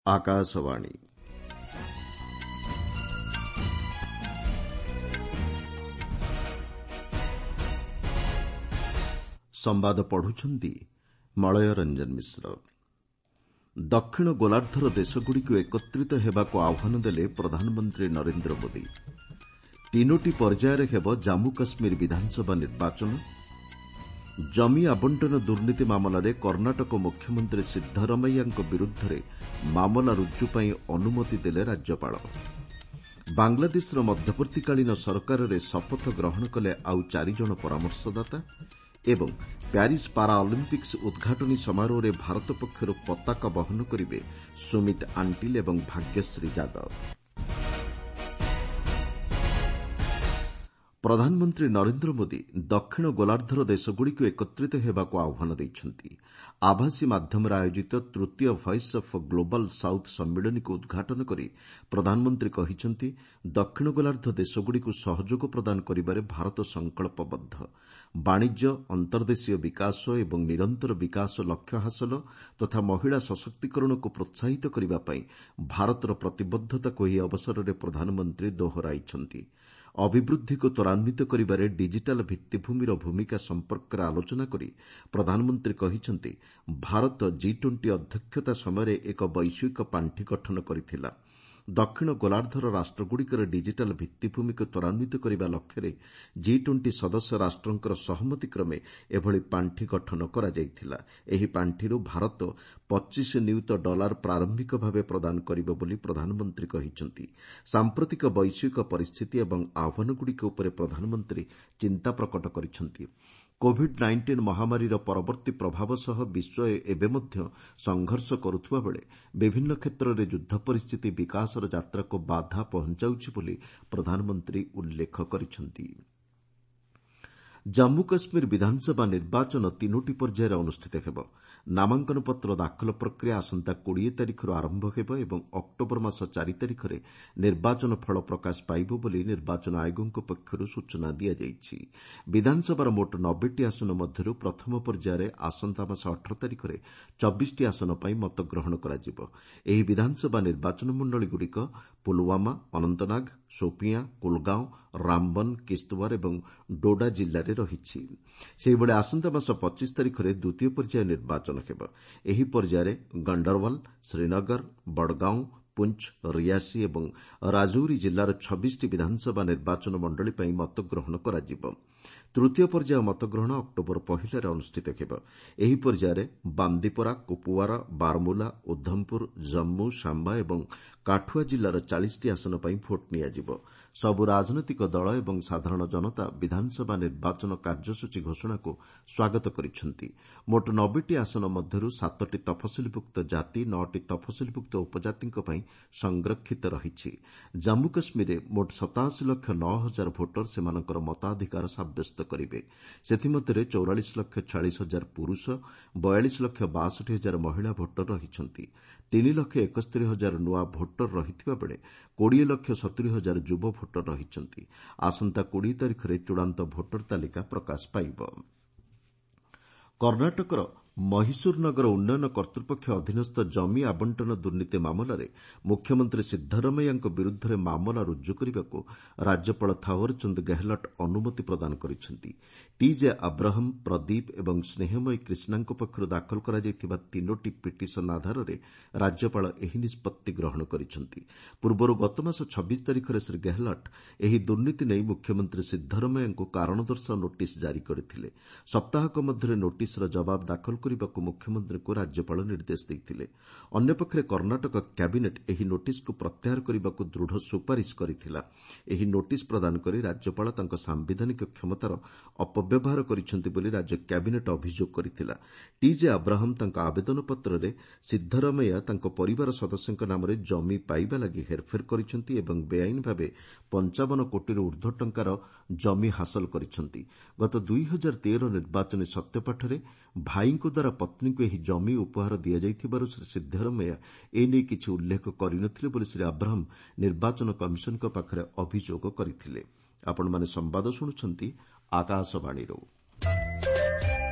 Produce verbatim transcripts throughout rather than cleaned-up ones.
ଆକାଶବାଣୀ। ସମ୍ବାଦ ପଢୁଛନ୍ତି ମଳୟ ରଞ୍ଜନ ମିଶ୍ର। ଦକ୍ଷିଣ ଗୋଲାର୍ଦ୍ଧର ଦେଶଗୁଡ଼ିକୁ ଏକତ୍ରିତ ହେବାକୁ ଆହ୍ୱାନ ଦେଲେ ପ୍ରଧାନମନ୍ତ୍ରୀ ନରେନ୍ଦ୍ର ମୋଦି। ତିନୋଟି ପର୍ଯ୍ୟାୟରେ ହେବ ଜାମ୍ମୁ କାଶ୍ମୀର ବିଧାନସଭା ନିର୍ବାଚନ। ଜମି ଆବଣ୍ଟନ ଦୁର୍ନୀତି ମାମଲାରେ କର୍ଣ୍ଣାଟକ ମୁଖ୍ୟମନ୍ତ୍ରୀ ସିଦ୍ଧରମେୟାଙ୍କ ବିରୁଦ୍ଧରେ ମାମଲା ରୁଜୁ ପାଇଁ ଅନୁମତି ଦେଲେ ରାଜ୍ୟପାଳ। ବାଂଲାଦେଶର ମଧ୍ୟବର୍ତ୍ତୀକାଳୀନ ସରକାରରେ ଶପଥ ଗ୍ରହଣ କଲେ ଆଉ ଚାରିଜଣ ପରାମର୍ଶଦାତା ଏବଂ ପ୍ୟାରିସ୍ ପାରା ଅଲିମ୍ପିକ୍ସ ଉଦ୍ଘାଟନୀ ସମାରୋହରେ ଭାରତ ପକ୍ଷରୁ ପତାକା ବହନ କରିବେ ସୁମିତ ଆଣ୍ଟିଲ୍ ଏବଂ ଭାଗ୍ୟଶ୍ରୀ ଯାଦବ। ପ୍ରଧାନମନ୍ତ୍ରୀ ନରେନ୍ଦ୍ର ମୋଦି ଦକ୍ଷିଣ ଗୋଲାର୍ଦ୍ଧର ଦେଶଗୁଡ଼ିକୁ ଏକତ୍ରିତ ହେବାକୁ ଆହ୍ୱାନ ଦେଇଛନ୍ତି। ଆଭାସୀ ମାଧ୍ୟମରେ ଆୟୋଜିତ ତୃତୀୟ ଭଏସ୍ ଅଫ୍ ଗ୍ଲୋବାଲ୍ ସାଉଥ୍ ସମ୍ମିଳନୀକୁ ଉଦ୍ଘାଟନ କରି ପ୍ରଧାନମନ୍ତ୍ରୀ କହିଛନ୍ତି, ଦକ୍ଷିଣ ଗୋଲାର୍ଦ୍ଧ ଦେଶଗୁଡ଼ିକୁ ସହଯୋଗ ପ୍ରଦାନ କରିବାରେ ଭାରତ ସଂକଳ୍ପବଦ୍ଧ। ବାଣିଜ୍ୟ, ଅନ୍ତର୍ଦେଶୀୟ ବିକାଶ ଏବଂ ନିରନ୍ତର ବିକାଶ ଲକ୍ଷ୍ୟ ହାସଲ ତଥା ମହିଳା ସଶକ୍ତିକରଣକୁ ପ୍ରୋତ୍ସାହିତ କରିବା ପାଇଁ ଭାରତର ପ୍ରତିବଦ୍ଧତାକୁ ଏହି ଅବସରରେ ପ୍ରଧାନମନ୍ତ୍ରୀ ଦୋହରାଇଛନ୍ତି। ଅଭିବୃଦ୍ଧିକୁ ତ୍ୱରାନ୍ୱିତ କରିବାରେ ଡିଜିଟାଲ୍ ଭିତ୍ତିଭୂମିର ଭୂମିକା ସମ୍ପର୍କରେ ଆଲୋଚନା କରି ପ୍ରଧାନମନ୍ତ୍ରୀ କହିଛନ୍ତି, ଭାରତ ଜି ଟ୍ୱେଣ୍ଟି ଅଧ୍ୟକ୍ଷତା ସମୟରେ ଏକ ବୈଶ୍ୱିକ ପାଣ୍ଠି ଗଠନ କରିଥିଲା। ଦକ୍ଷିଣ ଗୋଲାର୍ଦ୍ଧର ରାଷ୍ଟ୍ରଗୁଡ଼ିକରେ ଡିଜିଟାଲ୍ ଭିତ୍ତିଭୂମିକୁ ତ୍ୱରାନ୍ୱିତ କରିବା ଲକ୍ଷ୍ୟରେ ଜି ଟ୍ୱେଣ୍ଟି ସଦସ୍ୟ ରାଷ୍ଟ୍ରଙ୍କର ସହମତିକ୍ରମେ ଏଭଳି ପାଣ୍ଠି ଗଠନ କରାଯାଇଥିଲା। ଏହି ପାଣ୍ଠିରୁ ଭାରତ ପଚିଶ ନିୟୁତ ଡଲାର ପ୍ରାରମ୍ଭିକ ଭାବେ ପ୍ରଦାନ କରିବ ବୋଲି ପ୍ରଧାନମନ୍ତ୍ରୀ କହିଛନ୍ତି। ସାମ୍ପ୍ରତିକ ବୈଶ୍ୱିକ ପରିସ୍ଥିତି ଏବଂ ଆହ୍ୱାନଗୁଡ଼ିକ ଉପରେ ପ୍ରଧାନମନ୍ତ୍ରୀ ଚିନ୍ତା ପ୍ରକଟ କରିଛନ୍ତି। କୋଭିଡ୍ ନାଇଣ୍ଟିନ୍ ମହାମାରୀର ପରବର୍ତ୍ତୀ ପ୍ରଭାବ ସହ ବିଶ୍ୱ ଏବେ ମଧ୍ୟ ସଂଘର୍ଷ କରୁଥିବାବେଳେ ବିଭିନ୍ନ କ୍ଷେତ୍ରରେ ଯୁଦ୍ଧ ପରିସ୍ଥିତି ବିକାଶର ଯାତ୍ରାକୁ ବାଧା ପହଞ୍ଚାଉଛି ବୋଲି ପ୍ରଧାନମନ୍ତ୍ରୀ ଉଲ୍ଲେଖ କରିଛନ୍ତି। ଜାମ୍ମୁ କାଶ୍ମୀର ବିଧାନସଭା ନିର୍ବାଚନ ତିନୋଟି ପର୍ଯ୍ୟାୟରେ ଅନୁଷ୍ଠିତ ହେବ। ନାମାଙ୍କନପତ୍ର ଦାଖଲ ପ୍ରକ୍ରିୟା ଆସନ୍ତା କୋଡ଼ିଏ ତାରିଖରୁ ଆରମ୍ଭ ହେବ ଏବଂ ଅକ୍ଟୋବର ମାସ ଚାରି ତାରିଖରେ ନିର୍ବାଚନ ଫଳ ପ୍ରକାଶ ପାଇବ ବୋଲି ନିର୍ବାଚନ ଆୟୋଗଙ୍କ ପକ୍ଷରୁ ସୂଚନା ଦିଆଯାଇଛି। ବିଧାନସଭାର ମୋଟ ନବେଟି ଆସନ ମଧ୍ୟରୁ ପ୍ରଥମ ପର୍ଯ୍ୟାୟରେ ଆସନ୍ତା ମାସ ଅଠର ତାରିଖରେ ଚବିଶଟି ଆସନ ପାଇଁ ମତଗ୍ରହଣ କରାଯିବ। ଏହି ବିଧାନସଭା ନିର୍ବାଚନ ମଣ୍ଡଳୀଗୁଡ଼ିକ ପୁଲୱାମା, ଅନନ୍ତନାଗ, ସୋପିଆଁ, କୁଲଗାଓଁ, ରାମବନ, କିସ୍ତୱାର ଏବଂ ଡୋଡା ଜିଲ୍ଲାରେ ରହିଛି। ସେହିଭଳି ଆସନ୍ତା ମାସ ପଚିଶ ତାରିଖରେ ଦ୍ୱିତୀୟ ପର୍ଯ୍ୟାୟ ନିର୍ବାଚନ ହେବ। ଏହି ପର୍ଯ୍ୟାୟରେ ଗଣ୍ଡରୱାଲ, ଶ୍ରୀନଗର, ବଡ଼ଗାଓଁ, ପୁଞ୍ଚ, ରିଆସି ଏବଂ ରାଜୌରୀ ଜିଲ୍ଲାର ଛବିଶଟି ବିଧାନସଭା ନିର୍ବାଚନ ମଣ୍ଡଳୀ ପାଇଁ ମତଗ୍ରହଣ କରାଯିବ। ତୃତୀୟ ପର୍ଯ୍ୟାୟ ମତଗ୍ରହଣ ଅକ୍ଟୋବର ପହିଲାରେ ଅନୁଷ୍ଠିତ ହେବ। ଏହି ପର୍ଯ୍ୟାୟରେ ବାନ୍ଦିପୋରା, କୁପୁୱାରା, ବାରମୁଲା, ଉଦ୍ଧମପୁର, ଜମ୍ମୁ, ସାମ୍ବା ଏବଂ କାଠୁଆ ଜିଲ୍ଲାର ଚାଳିଶଟି ଆସନ ପାଇଁ ଭୋଟ୍ ନିଆଯିବ। ସବୁ ରାଜନୈତିକ ଦଳ ଏବଂ ସାଧାରଣ ଜନତା ବିଧାନସଭା ନିର୍ବାଚନ କାର୍ଯ୍ୟସୂଚୀ ଘୋଷଣାକୁ ସ୍ୱାଗତ କରିଛନ୍ତି। ମୋଟ ନବେଟି ଆସନ ମଧ୍ୟରୁ ସାତଟି ତଫସିଲଭୁକ୍ତ ଜାତି, ନଅଟି ତଫସିଲଭୁକ୍ତ ଉପଜାତିଙ୍କ ପାଇଁ ସଂରକ୍ଷିତ ରହିଛି। ଜାମ୍ମୁ କାଶ୍ମୀରରେ ମୋଟ ସତାଅଶୀ ଲକ୍ଷ ନଅ ହଜାର ଭୋଟର ସେମାନଙ୍କର ମତାଧିକାର ସାବ୍ୟସ୍ତ କରିବେ। ସେଥିମଧ୍ୟରେ ଚଉରାଳିଶ ଲକ୍ଷ ଛୟାଳିଶ ହଜାର ପୁରୁଷ, ବୟାଳିଶ ଲକ୍ଷ ବାଷଠି ହଜାର ମହିଳା ଭୋଟର ରହିଛନ୍ତି। ତିନି ଲକ୍ଷ ଏକସ୍ତରୀ ହଜାର ନୂଆ ଭୋଟର ରହିଥିବାବେଳେ କୋଡ଼ିଏ ଲକ୍ଷ ସତୁରି ହଜାର ଯୁବ ଭୋଟର ରହିଛନ୍ତି। ଆସନ୍ତା କୋଡ଼ିଏ ତାରିଖରେ ଚୂଡ଼ାନ୍ତ ଭୋଟର ତାଲିକା ପ୍ରକାଶ ପାଇବ। କର୍ଣ୍ଣାଟକର ମହୀଶୂର ନଗର ଉନ୍ନୟନ କର୍ତ୍ତୃପକ୍ଷ ଅଧୀନସ୍ଥ ଜମି ଆବଣ୍ଟନ ଦୁର୍ନୀତି ମାମଲାରେ ମୁଖ୍ୟମନ୍ତ୍ରୀ ସିଦ୍ଧରମେୟାଙ୍କ ବିରୁଦ୍ଧରେ ମାମଲା ରୁଜୁ କରିବାକୁ ରାଜ୍ୟପାଳ ଥାଓ୍ୱରଚନ୍ଦ ଗେହଲଟ୍ ଅନୁମତି ପ୍ରଦାନ କରିଛନ୍ତି। ଟିଜେ ଆବ୍ରାହମ୍, ପ୍ରଦୀପ ଏବଂ ସ୍ନେହମୟୀ କ୍ରିଷ୍ଣାଙ୍କ ପକ୍ଷରୁ ଦାଖଲ କରାଯାଇଥିବା ତିନୋଟି ପିଟିସନ ଆଧାରରେ ରାଜ୍ୟପାଳ ଏହି ନିଷ୍ପତ୍ତି ଗ୍ରହଣ କରିଛନ୍ତି। ପୂର୍ବରୁ ଗତମାସ ଛବିଶ ତାରିଖରେ ଶ୍ରୀ ଗେହଲଟ୍ ଏହି ଦୁର୍ନୀତି ନେଇ ମୁଖ୍ୟମନ୍ତ୍ରୀ ସିଦ୍ଧରମେୟାଙ୍କୁ କାରଣ ଦର୍ଶାଅ ନୋଟିସ୍ ଜାରି କରିଥିଲେ। ସପ୍ତାହକ ମଧ୍ୟରେ ନୋଟିସ୍ର ଜବାବ ଦାଖଲ କରିବାକୁ ମୁଖ୍ୟମନ୍ତ୍ରୀଙ୍କୁ ରାଜ୍ୟପାଳ ନିର୍ଦ୍ଦେଶ ଦେଇଥିଲେ। ଅନ୍ୟପକ୍ଷରେ କର୍ଣ୍ଣାଟକ କ୍ୟାବିନେଟ୍ ଏହି ନୋଟିସ୍କୁ ପ୍ରତ୍ୟାହାର କରିବାକୁ ଦୃଢ଼ ସୁପାରିଶ କରିଥିଲା। ଏହି ନୋଟିସ୍ ପ୍ରଦାନ କରି ରାଜ୍ୟପାଳ ତାଙ୍କ ସାମ୍ବିଧାନିକ କ୍ଷମତାର ଅପବ୍ୟବହାର କରିଛନ୍ତି ବୋଲି ରାଜ୍ୟ କ୍ୟାବିନେଟ୍ ଅଭିଯୋଗ କରିଥିଲା। ଟିଜେ ଆବ୍ରାହମ୍ ତାଙ୍କ ଆବେଦନପତ୍ରରେ ସିଦ୍ଧରମେୟା ତାଙ୍କ ପରିବାର ସଦସ୍ୟଙ୍କ ନାମରେ ଜମି ପାଇବା ଲାଗି ହେରଫେର କରିଛନ୍ତି ଏବଂ ବେଆଇନ ଭାବେ ପଞ୍ଚାବନ କୋଟିରୁ ଊର୍ଦ୍ଧ୍ୱ ଟଙ୍କାର ଜମି ହାସଲ କରିଛନ୍ତି। ଗତ ଦୁଇ ହଜାର ତେର ନିର୍ବାଚନୀ ସତ୍ୟପାଠରେ ଭାଇଙ୍କ ଦ୍ୱାରା ପତ୍ନୀଙ୍କୁ ଏହି ଜମି ଉପହାର ଦିଆଯାଇଥିବାରୁ ଶ୍ରୀ ସିଦ୍ଧରମେୟା ଏ ନେଇ କିଛି ଉଲ୍ଲେଖ କରିନଥିଲେ ବୋଲି ଶ୍ରୀ ଆବ୍ରାହମ୍ ନିର୍ବାଚନ କମିଶନଙ୍କ ପାଖରେ ଅଭିଯୋଗ କରିଥିଲେ। ଆପଣମାନେ ସମ୍ବାଦ ଶୁଣୁଛନ୍ତି ଆକାଶବାଣୀରୁ।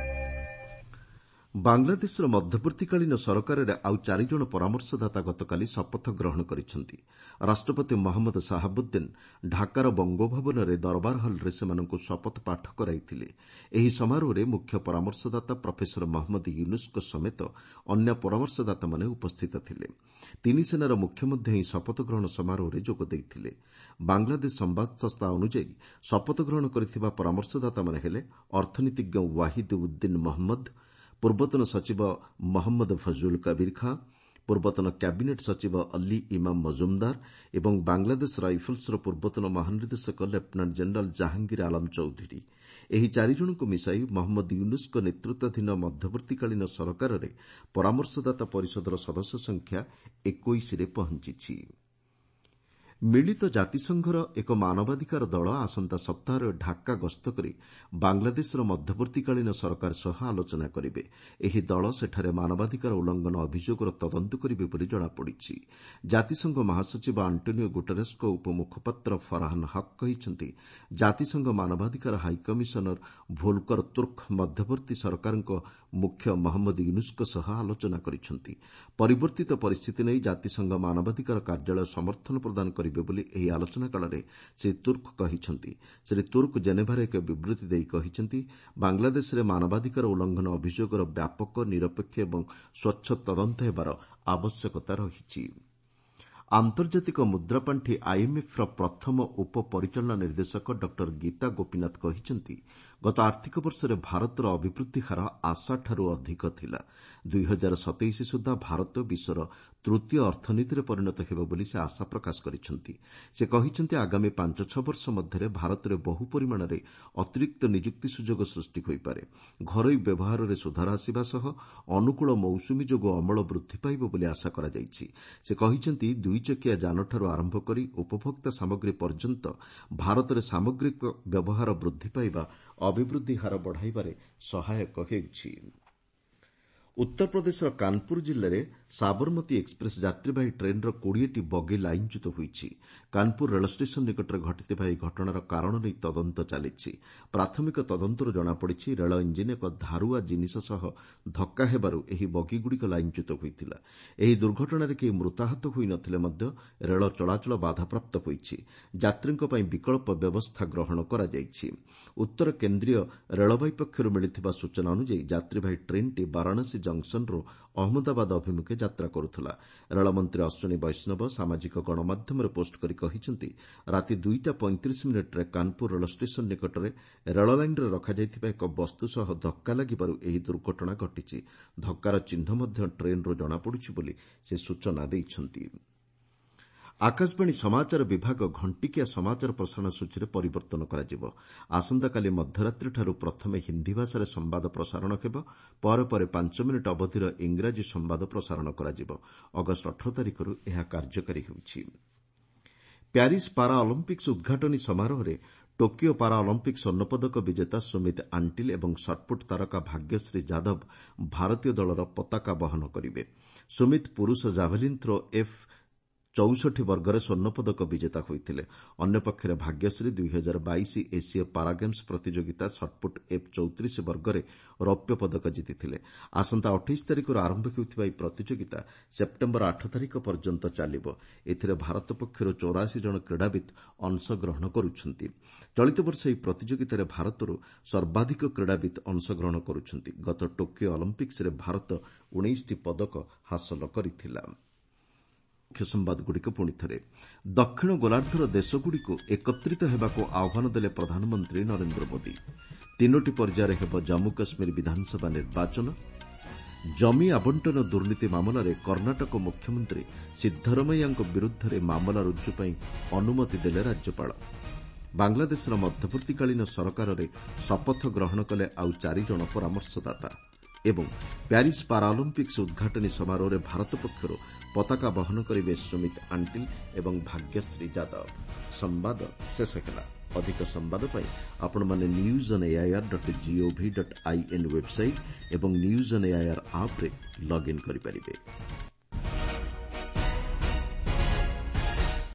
ବାଂଲାଦେଶର ମଧ୍ୟବର୍ତ୍ତୀକାଳୀନ ସରକାରରେ ଆଉ ଚାରିଜଣ ପରାମର୍ଶଦାତା ଗତକାଲି ଶପଥ ଗ୍ରହଣ କରିଛନ୍ତି। ରାଷ୍ଟ୍ରପତି ମହମ୍ମଦ ସାହାବୁଦ୍ଦିନ ଢାକାର ବଙ୍ଗୋଭବନରେ ଦରବାର ହଲ୍ରେ ସେମାନଙ୍କୁ ଶପଥ ପାଠ କରାଇଥିଲେ। ଏହି ସମାରୋହରେ ମୁଖ୍ୟ ପରାମର୍ଶଦାତା ପ୍ରଫେସର ମହମ୍ମଦ ୟୁନୁସ୍ଙ୍କ ସମେତ ଅନ୍ୟ ପରାମର୍ଶଦାତାମାନେ ଉପସ୍ଥିତ ଥିଲେ। ତିନି ସେନାର ମୁଖ୍ୟ ମଧ୍ୟ ଏହି ଶପଥ ଗ୍ରହଣ ସମାରୋହରେ ଯୋଗ ଦେଇଥିଲେ। ବାଂଲାଦେଶ ସମ୍ବାଦ ସଂସ୍ଥା ଅନୁଯାୟୀ ଶପଥ ଗ୍ରହଣ କରିଥିବା ପରାମର୍ଶଦାତାମାନେ ହେଲେ ଅର୍ଥନୀତିଜ୍ଞ ୱାହିଦ୍ ଉଦ୍ଦିନ ମହମ୍ମଦ, ପୂର୍ବତନ ସଚିବ ମହମ୍ମଦ ଫଜୁଲ କବିର ଖାଁ, ପୂର୍ବତନ କ୍ୟାବିନେଟ୍ ସଚିବ ଅଲ୍ଲୀ ଇମାମ ମଜୁମଦାର ଏବଂ ବାଂଲାଦେଶ ରାଇଫଲ୍ସର ପୂର୍ବତନ ମହାନିର୍ଦ୍ଦେଶକ ଲେଫ୍ଟନାଣ୍ଟ ଜେନେରାଲ୍ ଜାହାଙ୍ଗୀର ଆଲମ ଚୌଧୁରୀ। ଏହି ଚାରିଜଣଙ୍କୁ ମିଶାଇ ମହମ୍ମଦ ୟୁନୁସ୍ଙ୍କ ନେତୃତ୍ୱାଧୀନ ମଧ୍ୟବର୍ତ୍ତୀକାଳୀନ ସରକାରରେ ପରାମର୍ଶଦାତା ପରିଷଦର ସଦସ୍ୟ ସଂଖ୍ୟା ଏକୋଇଶରେ ପହଞ୍ଚିଛି। ମିଳିତ ଜାତିସଂଘର ଏକ ମାନବାଧିକାର ଦଳ ଆସନ୍ତା ସପ୍ତାହରେ ଢାକା ଗସ୍ତ କରି ବାଂଲାଦେଶର ମଧ୍ୟବର୍ତ୍ତୀକାଳୀନ ସରକାର ସହ ଆଲୋଚନା କରିବେ। ଏହି ଦଳ ସେଠାରେ ମାନବାଧିକାର ଉଲ୍ଲଂଘନ ଅଭିଯୋଗର ତଦନ୍ତ କରିବେ ବୋଲି ଜଣାପଡ଼ିଛି। ଜାତିସଂଘ ମହାସଚିବ ଆଣ୍ଟୋନିଓ ଗୁଟେରସ୍ଙ୍କ ଉପମୁଖପାତ୍ର ଫରହାନ୍ ହକ୍ କହିଛନ୍ତି, ଜାତିସଂଘ ମାନବାଧିକାର ହାଇକମିଶନର ଭୋଲକର ତୁର୍କ ମଧ୍ୟବର୍ତ୍ତୀ ସରକାରଙ୍କ ମୁଖ୍ୟ ମହମ୍ମଦ ୟୁନୁସ୍ଙ୍କ ସହ ଆଲୋଚନା କରିଛନ୍ତି। ପରିବର୍ତ୍ତିତ ପରିସ୍ଥିତି ନେଇ ଜାତିସଂଘ ମାନବାଧିକାର କାର୍ଯ୍ୟାଳୟ ସମର୍ଥନ ପ୍ରଦାନ କରିବେ ବୋଲି ଏହି ଆଲୋଚନା କାଳରେ ଶ୍ରୀ ତୁର୍କ କହିଛନ୍ତି। ଶ୍ରୀ ତୁର୍କ ଜେନେଭାରେ ଏକ ବିବୃତ୍ତି ଦେଇ କହିଛନ୍ତି, ବାଂଲାଦେଶରେ ମାନବାଧିକାର ଉଲ୍ଲଂଘନ ଅଭିଯୋଗର ବ୍ୟାପକ, ନିରପେକ୍ଷ ଏବଂ ସ୍ୱଚ୍ଛ ତଦନ୍ତ ହେବାର ଆବଶ୍ୟକତା ରହିଛି। ଆନ୍ତର୍ଜାତିକ ମୁଦ୍ରାପାଣ୍ଠି ଆଇଏମ୍ଏଫ୍ର ପ୍ରଥମ ଉପ ପରିଚାଳନା ନିର୍ଦ୍ଦେଶକ ଡକ୍ଟର ଗୀତା ଗୋପୀନାଥ କହିଛନ୍ତି, ଗତ ଆର୍ଥିକ ବର୍ଷରେ ଭାରତର ଅଭିବୃଦ୍ଧି ହାର ଆଶାଠାରୁ ଅଧିକ ଥିଲା। ଦୁଇ ହଜାର ସତେଇଶ ସୁଦ୍ଧା ଭାରତ ବିଶ୍ୱର ତୃତୀୟ ଅର୍ଥନୀତିରେ ପରିଣତ ହେବ ବୋଲି ସେ ଆଶା ପ୍ରକାଶ କରିଛନ୍ତି। ସେ କହିଛନ୍ତି, ଆଗାମୀ ପାଞ୍ଚ ଛଅ ବର୍ଷ ମଧ୍ୟରେ ଭାରତରେ ବହୁ ପରିମାଣରେ ଅତିରିକ୍ତ ନିଯୁକ୍ତି ସୁଯୋଗ ସୃଷ୍ଟି ହୋଇପାରେ। ଘରୋଇ ବ୍ୟବହାରରେ ସୁଧାର ଆସିବା ସହ ଅନୁକୂଳ ମୌସୁମୀ ଯୋଗୁଁ ଅମଳ ବୃଦ୍ଧି ପାଇବ ବୋଲି ଆଶା କରାଯାଇଛି। ସେ କହିଛନ୍ତି, ଦୁଇଚକିଆ ଯାନଠାରୁ ଆରମ୍ଭ କରି ଉପଭୋକ୍ତା ସାମଗ୍ରୀ ପର୍ଯ୍ୟନ୍ତ ଭାରତରେ ସାମଗ୍ରିକ ବ୍ୟବହାର ବୃଦ୍ଧି ପାଇବା ଅଭିବୃଦ୍ଧି ହାର ବଢ଼ାଇବାରେ ସହାୟକ ହେଉଛି। ଉତ୍ତରପ୍ରଦେଶର କାନପୁର ଜିଲ୍ଲାରେ ସାବରମତୀ ଏକ୍ସପ୍ରେସ୍ ଯାତ୍ରୀବାହୀ ଟ୍ରେନ୍ର କୋଡ଼ିଏଟି ବଗି ଲାଇନ୍ଚ୍ୟୁତ ହୋଇଛି। କାନପୁର ରେଳ ଷ୍ଟେସନ ନିକଟରେ ଘଟିଥିବା ଏହି ଘଟଣାର କାରଣ ନେଇ ତଦନ୍ତ ଚାଲିଛି। ପ୍ରାଥମିକ ତଦନ୍ତରୁ ଜଣାପଡ଼ିଛି, ରେଳ ଇଞ୍ଜିନ୍ ଏକ ଧାରୁଆ ଜିନିଷ ସହ ଧକ୍କା ହେବାରୁ ଏହି ବଗିଗୁଡ଼ିକ ଲାଇନ୍ଚ୍ୟୁତ ହୋଇଥିଲା। ଏହି ଦୁର୍ଘଟଣାରେ କେହି ମୃତାହତ ହୋଇନଥିଲେ ମଧ୍ୟ ରେଳ ଚଳାଚଳ ବାଧାପ୍ରାପ୍ତ ହୋଇଛି। ଯାତ୍ରୀଙ୍କ ପାଇଁ ବିକଳ୍ପ ବ୍ୟବସ୍ଥା ଗ୍ରହଣ କରାଯାଇଛି। ଉତ୍ତର କେନ୍ଦ୍ରୀୟ ରେଳବାଇ ପକ୍ଷରୁ ମିଳିଥିବା ସୂଚନା ଅନୁଯାୟୀ ଯାତ୍ରୀବାହୀ ଟ୍ରେନ୍ଟି ବାରାଣସୀ ଜଙ୍କସନରୁ ଅହମ୍ମଦାବାଦ ଅଭିମୁଖେ ଯାତ୍ରା କରୁଥିଲା। ରେଳମନ୍ତ୍ରୀ ଅଶ୍ୱିନୀ ବୈଷ୍ଣବ ସାମାଜିକ ଗଣମାଧ୍ୟମରେ ପୋଷ୍ଟ କରି କହିଛନ୍ତି, ରାତି ଦୁଇଟା ପଇଁତିରିଶ ମିନିଟ୍ରେ କାନପୁର ରେଳ ଷ୍ଟେସନ ନିକଟରେ ରେଳ ଲାଇନ୍ରେ ରଖାଯାଇଥିବା ଏକ ବସ୍ତୁ ସହ ଧକ୍କା ଲାଗିବାରୁ ଏହି ଦୁର୍ଘଟଣା ଘଟିଛି। ଧକ୍କାର ଚିହ୍ନ ମଧ୍ୟ ଟ୍ରେନ୍ରୁ ଜଣାପଡ଼ୁଛି ବୋଲି ସେ ସୂଚନା ଦେଇଛନ୍ତି। ଆକାଶବାଣୀ ସମାଚାର ବିଭାଗ ଘଣ୍ଟିକିଆ ସମାଚାର ପ୍ରସାରଣ ସୂଚୀରେ ପରିବର୍ତ୍ତନ କରାଯିବ। ଆସନ୍ତାକାଲି ମଧ୍ୟରାତ୍ରିଠାରୁ ପ୍ରଥମେ ହିନ୍ଦୀ ଭାଷାରେ ସମ୍ବାଦ ପ୍ରସାରଣ ହେବ। ପରେ ପରେ ପାଞ୍ଚ ମିନିଟ୍ ଅବଧିର ଇଂରାଜୀ ସମ୍ବାଦ ପ୍ରସାରଣ କରାଯିବ। ଅଗଷ୍ଟ ଅଠର ତାରିଖରୁ ଏହା କାର୍ଯ୍ୟକାରୀ ହେଉଛି। ପ୍ୟାରିସ୍ ପାରା ଅଲିମ୍ପିକ୍ସ ଉଦ୍ଘାଟନୀ ସମାରୋହରେ ଟୋକିଓ ପାରା ଅଲିମ୍ପିକ୍ ସ୍ୱର୍ଣ୍ଣପଦକ ବିଜେତା ସୁମିତ ଆଣ୍ଟିଲ୍ ଏବଂ ସଟ୍ପୁଟ୍ ତାରକା ଭାଗ୍ୟଶ୍ରୀ ଯାଦବ ଭାରତୀୟ ଦଳର ପତାକା ବହନ କରିବେ। ସୁମିତ ପୁରୁଷ ଜାଭେଲିନ୍ ଥ୍ରୋ ଏଫ୍ ଚଉଷଠି ବର୍ଗରେ ସ୍ୱର୍ଣ୍ଣପଦକ ବିଜେତା ହୋଇଥିଲେ। ଅନ୍ୟପକ୍ଷରେ ଭାଗ୍ୟଶ୍ରୀ ଦୁଇ ହଜାର ବାଇଶ ଏସୀୟ ପାରା ଗେମ୍ସ ପ୍ରତିଯୋଗିତା ସଟ୍ପୁଟ୍ ଏଫ୍ ଚଉତିରିଶ ବର୍ଗରେ ରୌପ୍ୟ ପଦକ ଜିତିଥିଲେ। ଆସନ୍ତା ଅଠେଇଶ ତାରିଖରୁ ଆରମ୍ଭ ହେଉଥିବା ଏହି ପ୍ରତିଯୋଗିତା ସେପ୍ଟେମ୍ବର ଆଠ ତାରିଖ ପର୍ଯ୍ୟନ୍ତ ଚାଲିବ। ଏଥିରେ ଭାରତ ପକ୍ଷରୁ ଚଉରାଅଶୀ ଜଣ କ୍ରୀଡ଼ାବିତ୍ ଅଂଶଗ୍ରହଣ କରୁଛନ୍ତି। ଚଳିତ ବର୍ଷ ଏହି ପ୍ରତିଯୋଗିତାରେ ଭାରତରୁ ସର୍ବାଧିକ କ୍ରୀଡ଼ାବିତ୍ ଅଂଶଗ୍ରହଣ କରୁଛନ୍ତି। ଗତ ଟୋକିଓ ଅଲିମ୍ପିକ୍ସରେ ଭାରତ ଉଣେଇଶଟି ପଦକ ହାସଲ କରିଥିଲା। ମୁଖ୍ୟ ସମ୍ବାଦଗୁଡ଼ିକ ପୁଣି ଥରେ। ଦକ୍ଷିଣ ଗୋଲାର୍ଦ୍ଧର ଦେଶଗୁଡ଼ିକୁ ଏକତ୍ରିତ ହେବାକୁ ଆହ୍ୱାନ ଦେଲେ ପ୍ରଧାନମନ୍ତ୍ରୀ ନରେନ୍ଦ୍ର ମୋଦି। ତିନୋଟି ପର୍ଯ୍ୟାୟରେ ହେବ ଜମ୍ମୁ କାଶ୍ମୀର ବିଧାନସଭା ନିର୍ବାଚନ। ଜମି ଆବଣ୍ଟନ ଦୁର୍ନୀତି ମାମଲାରେ କର୍ଣ୍ଣାଟକ ମୁଖ୍ୟମନ୍ତ୍ରୀ ସିଦ୍ଧରମୈୟାଙ୍କ ବିରୁଦ୍ଧରେ ମାମଲା ରୁଜୁ ପାଇଁ ଅନୁମତି ଦେଲେ ରାଜ୍ୟପାଳ। ବାଂଲାଦେଶର ମଧ୍ୟବର୍ତ୍ତୀକାଳୀନ ସରକାରରେ ଶପଥ ଗ୍ରହଣ କଲେ ଆଉ ଚାରିଜଣ ପରାମର୍ଶଦାତା। ଏବଂ ପ୍ୟାରିସ୍ ପାରାଅଲିମ୍ପିକ୍ସ ଉଦ୍ଘାଟନୀ ସମାରୋହରେ ଭାରତ ପକ୍ଷରୁ ପତାକା ବହନ କରିବେ ସୁମିତ ଆଣ୍ଟିଲ୍ ଏବଂ ଭାଗ୍ୟଶ୍ରୀ ଯାଦବ। ସମ୍ବାଦ ଶେଷ ହେଲା। ଅଧିକ ସମ୍ବାଦ ପାଇଁ ଆପଣମାନେ news on AIR dot gov dot in website ଏବଂ ନ୍ୟୁଜ୍ ଅନ୍ ଏଆଇଆର୍ ଆପ୍ରେ ଲଗ୍ଇନ୍ କରିପାରିବେ।